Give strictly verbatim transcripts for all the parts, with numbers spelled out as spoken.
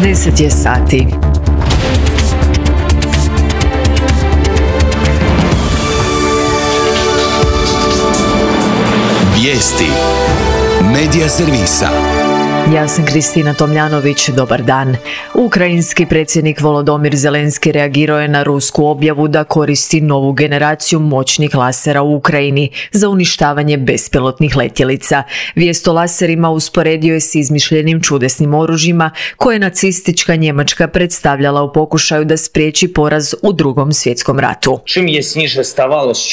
deset je sati. Vijesti Medija servisa. Ja sam Kristina Tomljanović, dobar dan. Ukrajinski predsjednik Volodymyr Zelenski reagirao je na rusku objavu da koristi novu generaciju moćnih lasera u Ukrajini za uništavanje bespilotnih letjelica. Vijest o laserima usporedio je s izmišljenim čudesnim oružjima koje je nacistička Njemačka predstavljala u pokušaju da spriječi poraz u Drugom svjetskom ratu.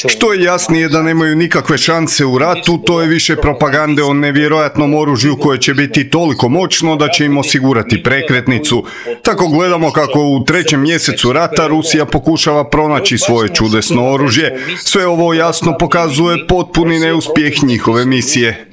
Što je jasnije da nemaju nikakve šanse u ratu, to je više propagande o nevjerojatnom oružju koje će biti toliko moćno da će im osigurati prekretnicu. Tako gledamo kako u trećem mjesecu rata Rusija pokušava pronaći svoje čudesno oružje. Sve ovo jasno pokazuje potpuni neuspjeh njihove misije.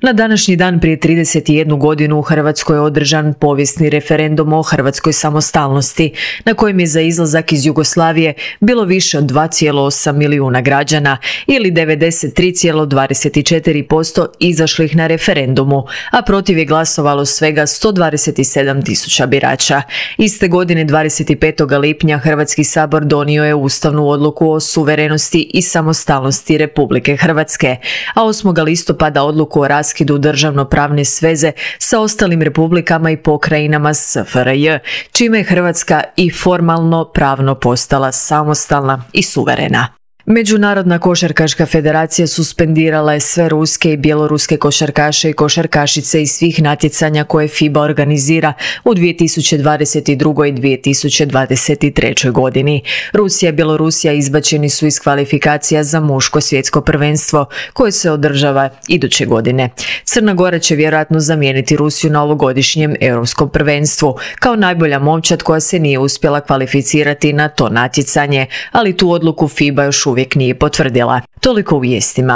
Na današnji dan prije trideset jednu godinu u Hrvatskoj je održan povijesni referendum o hrvatskoj samostalnosti, na kojem je za izlazak iz Jugoslavije bilo više od dva zarez osam milijuna građana ili devedeset tri zarez dvadeset četiri posto izašlih na referendumu, a protiv je glasovalo svega sto dvadeset sedam tisuća birača. Iste godine dvadeset petog lipnja Hrvatski sabor donio je ustavnu odluku o suverenosti i samostalnosti Republike Hrvatske, a osmog listopada odluku o raskidu državno-pravne sveze sa ostalim republikama i pokrajinama S F R J, čime je Hrvatska i formalno pravno postala samostalna i suverena. Međunarodna košarkaška federacija suspendirala je sve ruske i bjeloruske košarkaše i košarkašice iz svih natjecanja koje FIBA organizira u dvije tisuće dvadeset druge. i dvije tisuće dvadeset treće. godini. Rusija i Bjelorusija izbačeni su iz kvalifikacija za muško svjetsko prvenstvo koje se održava iduće godine. Crna Gora će vjerojatno zamijeniti Rusiju na ovogodišnjem europskom prvenstvu kao najbolja momčad koja se nije uspjela kvalificirati na to natjecanje, ali tu odluku FIBA još uvijek uvijek nije potvrdila. Toliko u vijestima.